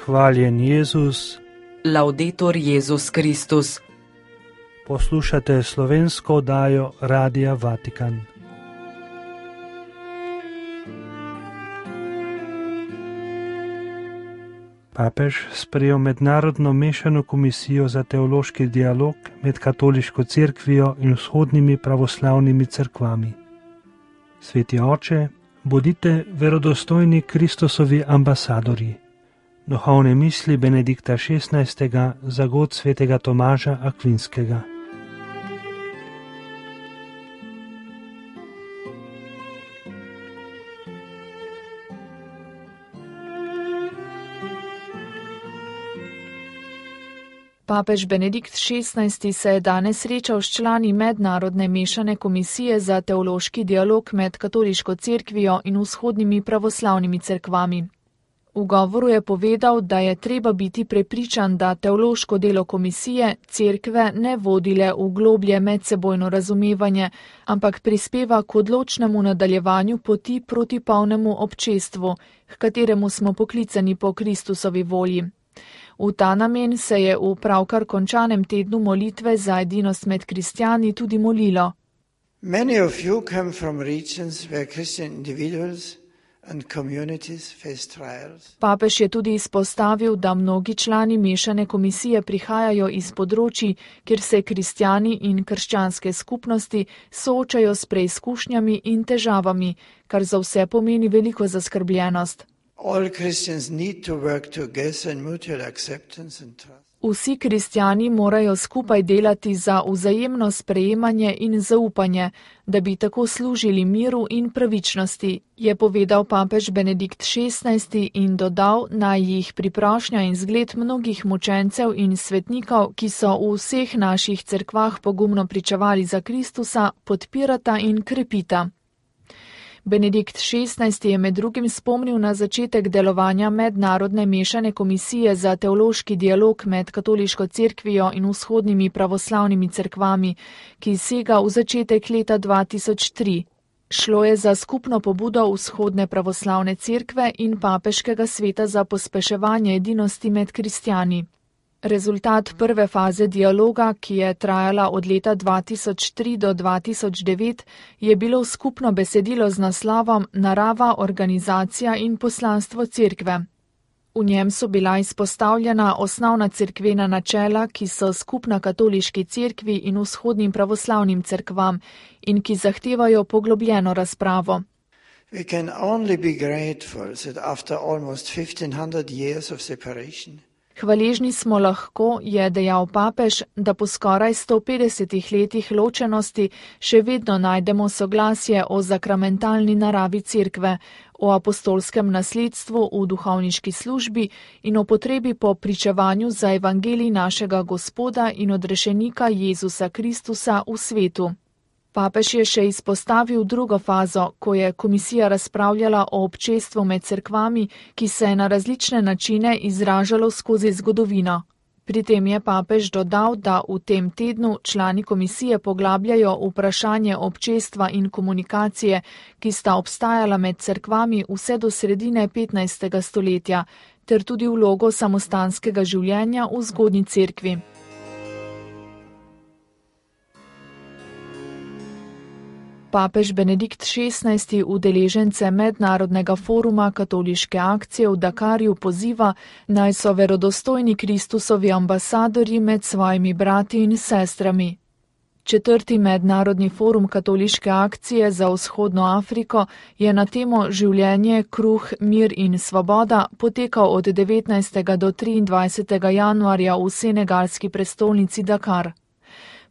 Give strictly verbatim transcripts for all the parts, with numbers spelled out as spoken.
Hvaljen Jezus. Laudetur Jezus Kristus. Poslušate slovensko oddajo Radia Vatikan. Papež sprejel mednarodno mešano komisijo za teološki dialog med katoliško cerkvijo in vzhodnimi pravoslavnimi cerkvami. Sveti oče, bodite verodostojni Kristusovi ambasadorji. Duhovne misli Benedikta šestnajstega za god svetega Tomaža Akvinskega. Papež Benedikt šestnajsti se je danes srečal s člani mednarodne mešane komisije za teološki dialog med katoliško cerkvijo in vzhodnimi pravoslavnimi cerkvami. V govoru je povedal, da je treba biti prepričan, da teološko delo komisije cerkve ne vodi le v globlje medsebojno razumevanje, ampak prispeva k odločnemu nadaljevanju poti proti polnemu občestvu, h kateremu smo poklicani po Kristusovi volji. V ta namen se je v pravkar končanem tednu molitve za edinost med kristjani tudi molilo. Many of you come from regions where Christian individuals and communities face trials. Papež je tudi izpostavil, da mnogi člani mešane komisije prihajajo iz področij, kjer se kristjani in krščanske skupnosti soočajo s preizkušnjami in težavami, kar za vse pomeni veliko zaskrbljenost. All Christians need to work together in mutual acceptance and trust. Vsi kristjani morajo skupaj delati za vzajemno sprejemanje in zaupanje, da bi tako služili miru in pravičnosti, je povedal papež Benedikt šestnajsti in dodal, naj jih priprošnja in zgled mnogih mučencev in svetnikov, ki so v vseh naših cerkvah pogumno pričevali za Kristusa, podpirata in krepita. Benedikt šestnajsti je med drugim spomnil na začetek delovanja mednarodne mešane komisije za teološki dialog med katoliško cerkvijo in vzhodnimi pravoslavnimi cerkvami, ki sega v začetek leta dva tisoč tri. Šlo je za skupno pobudo vzhodne pravoslavne cerkve in papeškega sveta za pospeševanje edinosti med kristjani. Rezultat prve faze dialoga, ki je trajala od leta dva tisoč tri do dva tisoč devet, je bilo skupno besedilo z naslovom Narava, organizacija in poslanstvo cerkve. V njem so bila izpostavljena osnovna cerkvena načela, ki so skupna katoliški cerkvi in vzhodnim pravoslavnim cerkvam in ki zahtevajo poglobljeno razpravo. We can only be grateful that after almost fifteen hundred years of separation, Hvaležni smo lahko, je dejal papež, da po skoraj sto petdesetih letih ločenosti še vedno najdemo soglasje o zakramentalni naravi cerkve, o apostolskem nasledstvu v duhovniški službi in o potrebi po pričevanju za evangelij našega Gospoda in odrešenika Jezusa Kristusa v svetu. Papež je še izpostavil drugo fazo, ko je komisija razpravljala o občestvu med cerkvami, ki se je na različne načine izražalo skozi zgodovino. Pri tem je papež dodal, da v tem tednu člani komisije poglabljajo vprašanje občestva in komunikacije, ki sta obstajala med cerkvami vse do sredine petnajstega stoletja, ter tudi vlogo samostanskega življenja v zgodnji cerkvi. Papež Benedikt šestnajsti udeležence mednarodnega foruma katoliške akcije v Dakarju poziva, naj so verodostojni Kristusovi ambasadorji med svojimi brati in sestrami. Četrti mednarodni forum katoliške akcije za vzhodno Afriko je na temo življenje, kruh, mir in svoboda potekal od devetnajstega do triindvajsetega januarja v senegalski prestolnici Dakar.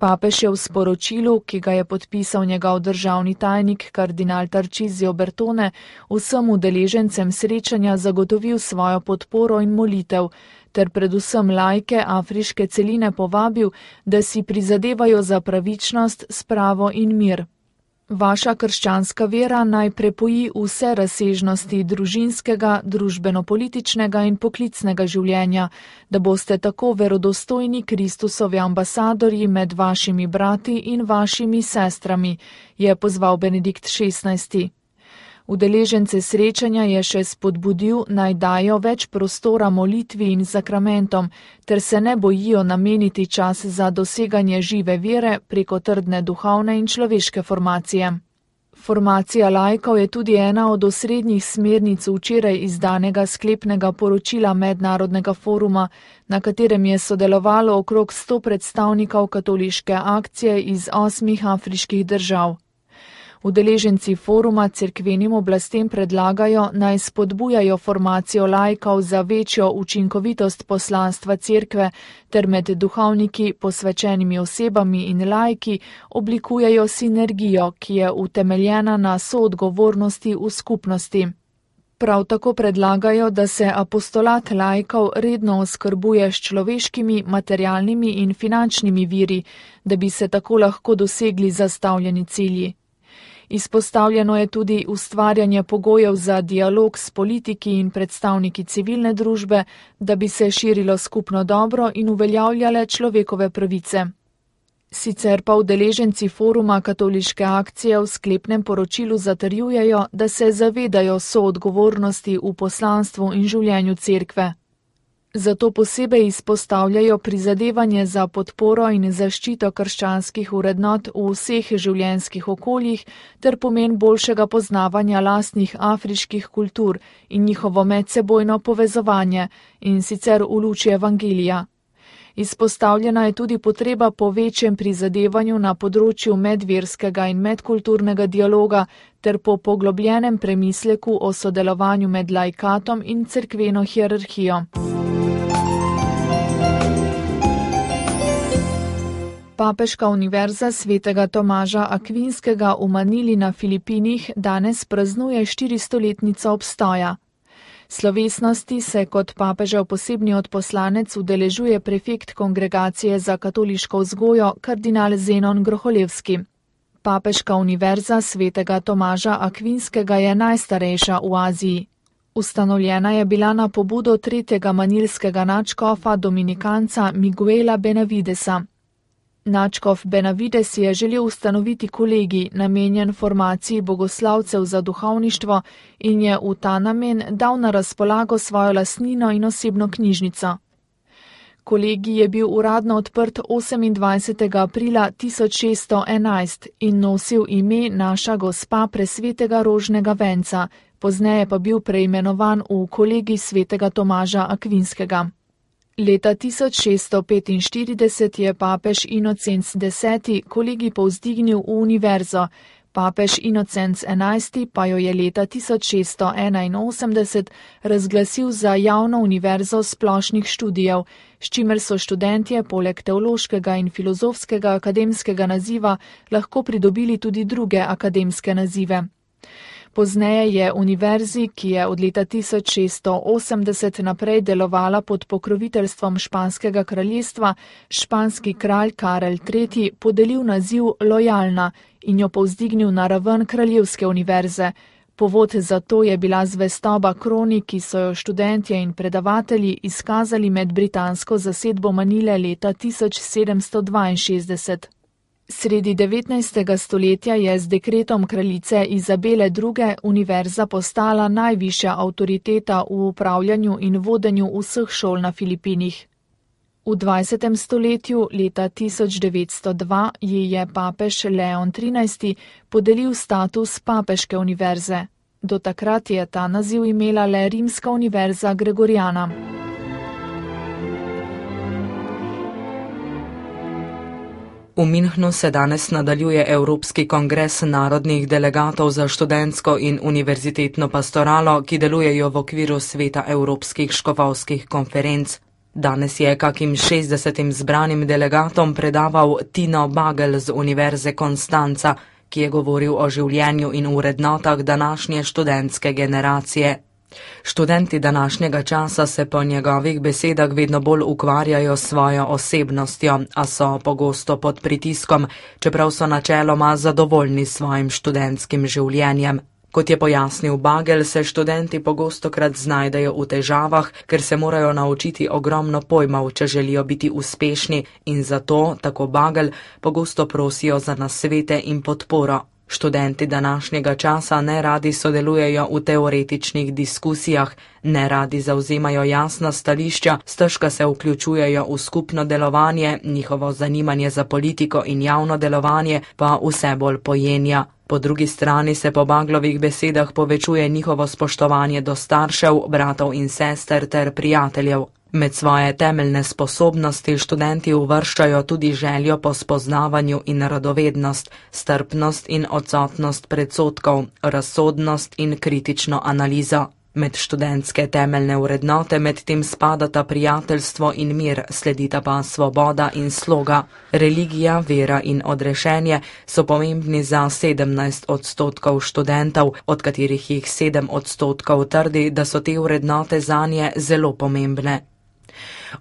Papež je v sporočilu, ki ga je podpisal njegov državni tajnik kardinal Tarcísio Bertone, vsem udeležencem srečanja zagotovil svojo podporo in molitev, ter predvsem laike afriške celine povabil, da si prizadevajo za pravičnost, spravo in mir. Vaša krščanska vera naj prepoji vse razsežnosti družinskega, družbeno-političnega in poklicnega življenja, da boste tako verodostojni Kristusovi ambasadorji med vašimi brati in vašimi sestrami, je pozval Benedikt šestnajsti. Udeležence srečanja je še spodbudil, naj dajo več prostora molitvi in sakramentom, ter se ne bojijo nameniti čas za doseganje žive vere preko trdne duhovne in človeške formacije. Formacija laikov je tudi ena od osrednjih smernic včeraj izdanega sklepnega poročila Mednarodnega foruma, na katerem je sodelovalo okrog sto predstavnikov katoliške akcije iz osmih afriških držav. Udeleženci foruma cerkvenim oblastem predlagajo, naj spodbujajo formacijo laikov za večjo učinkovitost poslanstva cerkve ter med duhovniki, posvečenimi osebami in laiki oblikujejo sinergijo, ki je utemeljena na soodgovornosti v skupnosti. Prav tako predlagajo, da se apostolat laikov redno oskrbuje s človeškimi, materialnimi in finančnimi viri, da bi se tako lahko dosegli zastavljeni cilji. Izpostavljeno je tudi ustvarjanje pogojev za dialog s politiki in predstavniki civilne družbe, da bi se širilo skupno dobro in uveljavljale človekove pravice. Sicer pa udeleženci foruma katoliške akcije v sklepnem poročilu zatrjujejo, da se zavedajo soodgovornosti v poslanstvu in življenju cerkve. Zato posebej izpostavljajo prizadevanje za podporo in zaščito krščanskih vrednot v vseh življenjskih okoljih ter pomen boljšega poznavanja lastnih afriških kultur in njihovo medsebojno povezovanje, in sicer v luči evangelija. Izpostavljena je tudi potreba po večjem prizadevanju na področju medverskega in medkulturnega dialoga ter po poglobljenem premisleku o sodelovanju med laikatom in cerkveno hierarhijo. Papeška univerza svetega Tomaža Akvinskega v Manili na Filipinih danes praznuje štiristoletnico obstoja. Slovesnosti se kot papežev posebni odposlanec udeležuje prefekt Kongregacije za katoliško vzgojo kardinal Zenon Groholevski. Papeška univerza svetega Tomaža Akvinskega je najstarejša v Aziji. Ustanovljena je bila na pobudo tretjega manilskega nadškofa dominikanca Miguela Benavidesa. Nadškof Benavides je želel ustanoviti kolegij, namenjen formaciji bogoslavcev za duhovništvo, in je v ta namen dal na razpolago svojo lastnino in osebno knjižnico. Kolegij je bil uradno odprt osemindvajsetega aprila tisoč šeststo enajst in nosil ime Naša gospa presvetega rožnega venca, pozneje pa bil preimenovan v kolegij svetega Tomaža Akvinskega. Leta tisoč šeststo petinštirideset je papež Inocenc deseti kolegij povzdignil v univerzo, papež Inocenc enajsti pa jo je leta tisoč šeststo enainosemdeset razglasil za javno univerzo splošnih študijev, s čimer so študentje poleg teološkega in filozofskega akademskega naziva lahko pridobili tudi druge akademske nazive. Pozneje je univerzi, ki je od leta tisoč šeststo osemdeset naprej delovala pod pokroviteljstvom Španskega kraljestva, španski kralj Karel tretji podelil naziv Lojalna in jo povzdignil na raven kraljevske univerze. Povod za to je bila zvestoba kroni, ki so jo študentje in predavatelji izkazali med britansko zasedbo Manile leta tisoč sedemsto dvainšestdeset. Sredi devetnajstega stoletja je z dekretom kraljice Izabele druge univerza postala najvišja avtoriteta v upravljanju in vodenju vseh šol na Filipinih. V dvajsetem stoletju, leta tisoč devetsto dva, ji je papež Leon trinajsti podelil status papeške univerze. Do takrat je ta naziv imela le Rimska univerza Gregoriana. V Minhnu se danes nadaljuje Evropski kongres narodnih delegatov za študentsko in univerzitetno pastoralo, ki delujejo v okviru sveta evropskih škofovskih konferenc. Danes je kakim šestdesetim zbranim delegatom predaval Tino Bagel z Univerze Konstanca, ki je govoril o življenju in vrednotah današnje študentske generacije. Študenti današnjega časa se po njegovih besedah vedno bolj ukvarjajo s svojo osebnostjo, a so pogosto pod pritiskom, čeprav so načeloma zadovoljni s svojim študentskim življenjem. Kot je pojasnil Bagel, se študenti pogostokrat znajdejo v težavah, ker se morajo naučiti ogromno pojmov, če želijo biti uspešni, in zato, tako Bagel, pogosto prosijo za nasvete in podporo. Študenti današnjega časa ne radi sodelujejo v teoretičnih diskusijah, ne radi zauzemajo jasna stališča, stežka se vključujejo v skupno delovanje, njihovo zanimanje za politiko in javno delovanje pa vse bolj pojenja. Po drugi strani se po Baglovih besedah povečuje njihovo spoštovanje do staršev, bratov in sester ter prijateljev. Med svoje temeljne sposobnosti študenti uvrščajo tudi željo po spoznavanju in radovednost, strpnost in odsotnost predsodkov, razsodnost in kritično analizo. Med študentske temeljne vrednote medtem spadata prijateljstvo in mir, sledita pa svoboda in sloga. Religija, vera in odrešenje so pomembni za sedemnajst odstotkov študentov, od katerih jih sedem odstotkov trdi, da so te vrednote zanje zelo pomembne.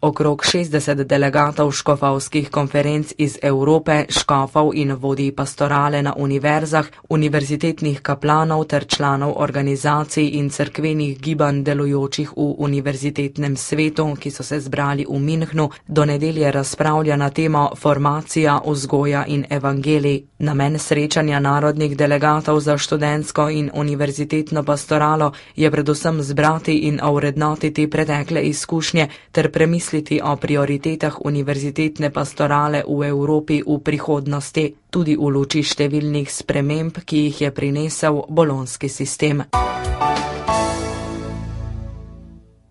Okrog šestdeset delegatov škofovskih konferenc iz Evrope, škofov in vodij pastorale na univerzah, univerzitetnih kaplanov ter članov organizacij in cerkvenih gibanj delujočih v univerzitetnem svetu, ki so se zbrali v Münchnu, do nedelje razpravlja na temo formacija, vzgoja in evangelij. Namen srečanja narodnih delegatov za študentsko in univerzitetno pastoralo je predvsem zbrati in ovrednotiti pretekle izkušnje ter premisliti o prioritetah univerzitetne pastorale v Evropi v prihodnosti, tudi v luči številnih sprememb, ki jih je prinesel bolonski sistem.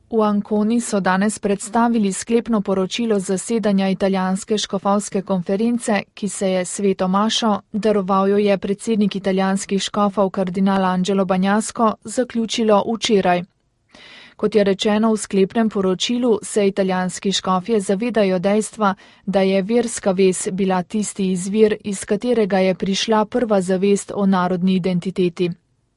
V Anconi so danes predstavili sklepno poročilo zasedanja italijanske škofovske konference, ki se je sveto mašo, daroval jo je predsednik italijanskih škofov kardinal Angelo Bagnasco, zaključilo včeraj. Kot je rečeno v sklepnem poročilu, se italijanski škofje zavedajo dejstva, da je verska vez bila tisti izvir, iz katerega je prišla prva zavest o narodni identiteti.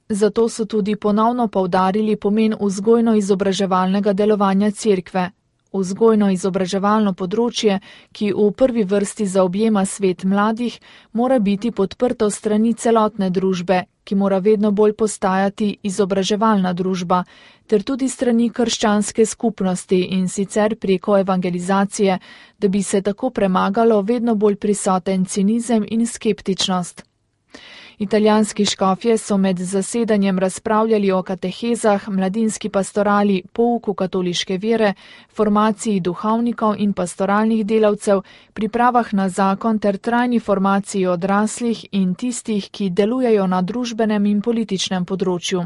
Zato so tudi ponovno poudarili pomen vzgojno-izobraževalnega delovanja cerkve. Vzgojno-izobraževalno področje, ki v prvi vrsti zaobjema svet mladih, mora biti podprto strani celotne družbe, ki mora vedno bolj postajati izobraževalna družba, ter tudi strani krščanske skupnosti in sicer preko evangelizacije, da bi se tako premagalo vedno bolj prisoten cinizem in skeptičnost. Italijanski škofje so med zasedanjem razpravljali o katehezah, mladinski pastorali, pouku katoliške vere, formaciji duhovnikov in pastoralnih delavcev, pripravah na zakon ter trajni formaciji odraslih in tistih, ki delujejo na družbenem in političnem področju.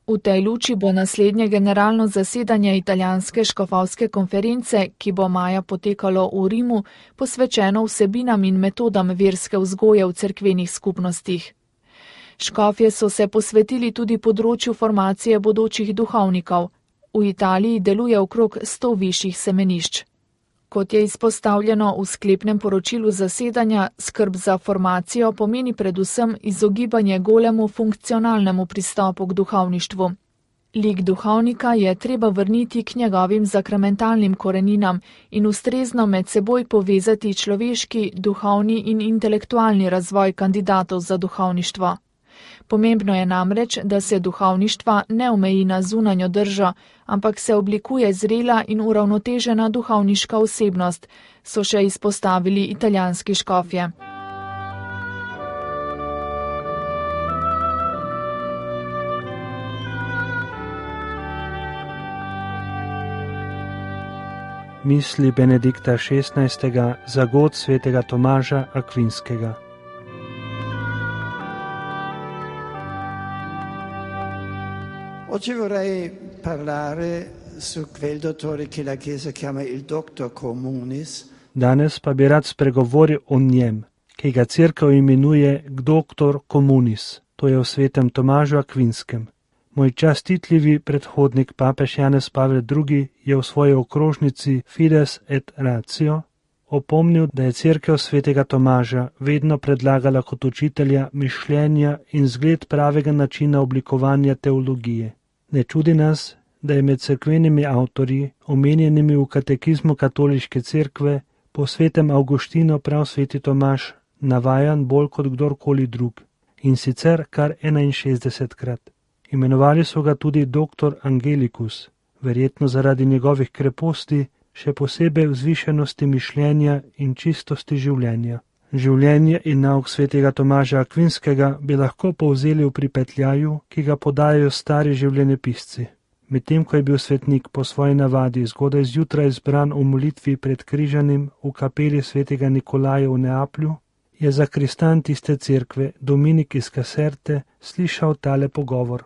V tej luči bo naslednje generalno zasedanje italijanske škofovske konference, ki bo maja potekalo v Rimu, posvečeno vsebinam in metodam verske vzgoje v cerkvenih skupnostih. Škofje so se posvetili tudi področju formacije bodočih duhovnikov. V Italiji deluje okrog sto višjih semenišč. Kot je izpostavljeno v sklepnem poročilu zasedanja, skrb za formacijo pomeni predvsem izogibanje golemu funkcionalnemu pristopu k duhovništvu. Lik duhovnika je treba vrniti k njegovim zakramentalnim koreninam in ustrezno med seboj povezati človeški, duhovni in intelektualni razvoj kandidatov za duhovništvo. Pomembno je namreč, da se duhovništva ne omeji na zunanjo držo, ampak se oblikuje zrela in uravnotežena duhovniška osebnost, so še izpostavili italijanski škofje. Misli Benedikta šestnajstega za god svetega Tomaža Akvinskega. Oggi vorrei parlare su quel dottore che la Chiesa chiama il doctor communis. Danes pa bi rad spregovoril o njem, ki ga cerkev imenuje doktor communis, to je o svetem Tomažu Akvinskem. Moj častitljivi predhodnik papež Janez Pavel drugi je v svoji okrožnici Fides et Ratio opomnil, da je cerkev svetega Tomaža vedno predlagala kot učitelja mišljenja in zgled pravega načina oblikovanja teologije. Ne čudi nas, da je med cerkvenimi avtorji, omenjenimi v katekizmu katoliške cerkve, po svetem Avguštinu prav sveti Tomaž navajan bolj kot kdorkoli drug, in sicer kar enainšestdesetkrat. Imenovali so ga tudi doktor Angelicus, verjetno zaradi njegovih kreposti, še posebej vzvišenosti mišljenja in čistosti življenja. Življenje in nauk svetega Tomaža Akvinskega bi lahko povzeli v pripetljaju, ki ga podajajo stari življenjepisci. Medtem ko je bil svetnik po svoji navadi zgodaj zjutraj zbran v molitvi pred križanim v kapeli svetega Nikolaja v Neaplju, je zakristan tiste cerkve Dominik iz Caserte slišal tale pogovor.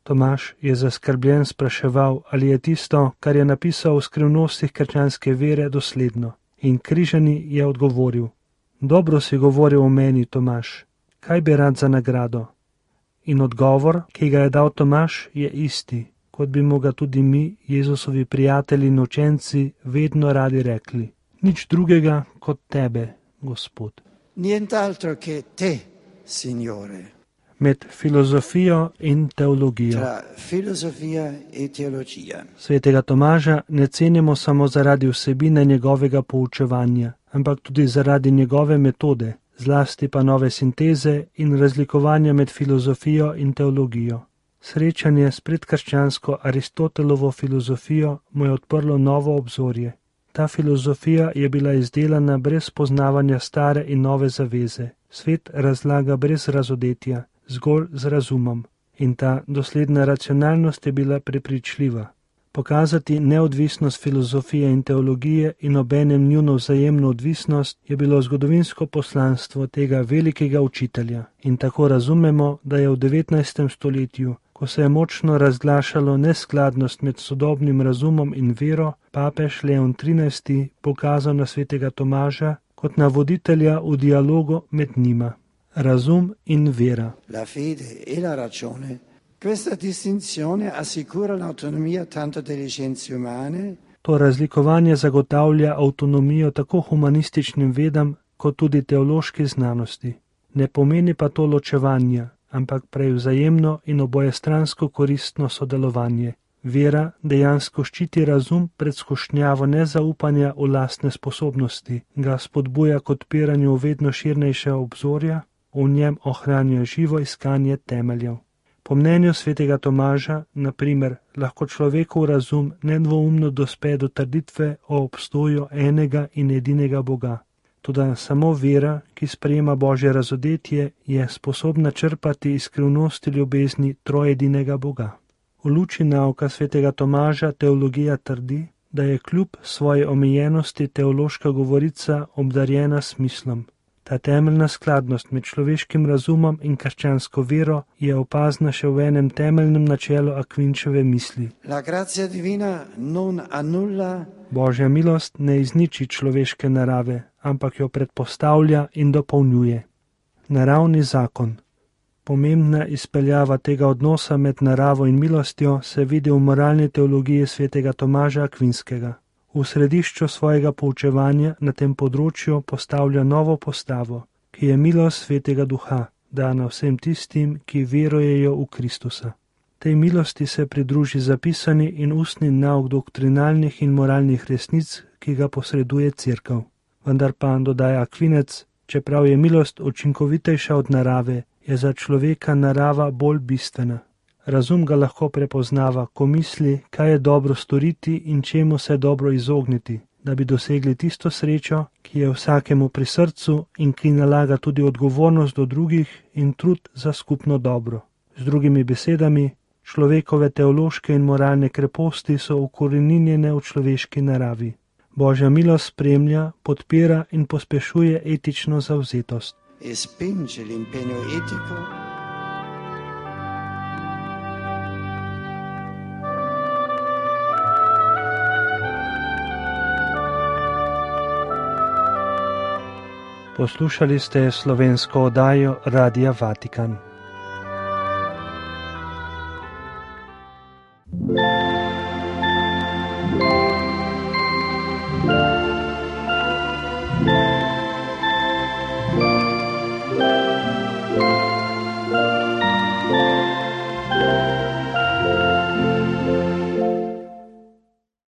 Tomaž je zaskrbljen spraševal, ali je tisto, kar je napisal v skrivnostih krščanske vere, dosledno. In križani je odgovoril: Dobro si govoril o meni, Tomaž, kaj bi rad za nagrado? In odgovor, ki ga je dal Tomaž, je isti, kot bi mu ga tudi mi, Jezusovi prijatelji in učenci, vedno radi rekli: Nič drugega kot tebe, Gospod. Nient'altro che te, Signore. Med filozofijo in teologijo. Tra filosofija e teologija. Svetega Tomaža ne cenimo samo zaradi vsebine njegovega poučevanja, ampak tudi zaradi njegove metode, zlasti pa nove sinteze in razlikovanja med filozofijo in teologijo. Srečanje s predkrščansko Aristotelovo filozofijo mu je odprlo novo obzorje. Ta filozofija je bila izdelana brez poznavanja stare in nove zaveze. Svet razlaga brez razodetja, zgolj z razumom. In ta dosledna racionalnost je bila prepričljiva. Pokazati neodvisnost filozofije in teologije in obenem njuno vzajemno odvisnost je bilo zgodovinsko poslanstvo tega velikega učitelja. In tako razumemo, da je v devetnajstem stoletju, ko se je močno razglašalo neskladnost med sodobnim razumom in vero, papež Leon trinajsti pokazal na svetega Tomaža kot na voditelja v dialogu med njima. Razum in vera. La fede e la ragione. Questa distinzione assicura l'autonomia tanto delle scienze umane. To razlikovanje zagotavlja avtonomijo tako humanističnim vedam, kot tudi teološki znanosti. Ne pomeni pa to ločevanja, ampak prej vzajemno in obojestransko koristno sodelovanje. Vera dejansko ščiti razum pred skušnjavo nezaupanja v lastne sposobnosti, ga spodbuja k odpiranju vedno širnejše obzorja, v njem ohranja živo iskanje temeljev. Po mnenju svetega Tomaža, na primer, lahko človekov razum nedvoumno dospe do trditve o obstoju enega in edinega Boga. Toda samo vera, ki sprejema Božje razodetje, je sposobna črpati iz skrivnosti ljubezni trojedinega Boga. V luči nauka svetega Tomaža teologija trdi, da je kljub svoji omejenosti teološka govorica obdarjena smislom. Ta temeljna skladnost med človeškim razumom in krščansko vero je opazna še v enem temeljnem načelu Akvinčeve misli. La grazia divina non annulla. Božja milost ne izniči človeške narave, ampak jo predpostavlja in dopolnjuje. Naravni zakon. Pomembna izpeljava tega odnosa med naravo in milostjo se vidi v moralni teologiji svetega Tomaža Akvinskega. V središču svojega poučevanja na tem področju postavlja novo postavo, ki je milost svetega duha, dana vsem tistim, ki verujejo v Kristusa. Tej milosti se pridruži zapisani in ustni nauk doktrinalnih in moralnih resnic, ki ga posreduje Cerkev. Vendar pa, dodaja Akvinec, čeprav je milost učinkovitejša od narave, je za človeka narava bolj bistvena. Razum ga lahko prepoznava, ko misli, kaj je dobro storiti in čemu se dobro izogniti, da bi dosegli tisto srečo, ki je vsakemu pri srcu in ki nalaga tudi odgovornost do drugih in trud za skupno dobro. Z drugimi besedami, človekove teološke in moralne kreposti so ukoreninjene v človeški naravi. Božja milost spremlja, podpira in pospešuje etično zavzetost. E spinge l'impegno etico. Poslušali ste slovensko oddajo Radia Vatikan.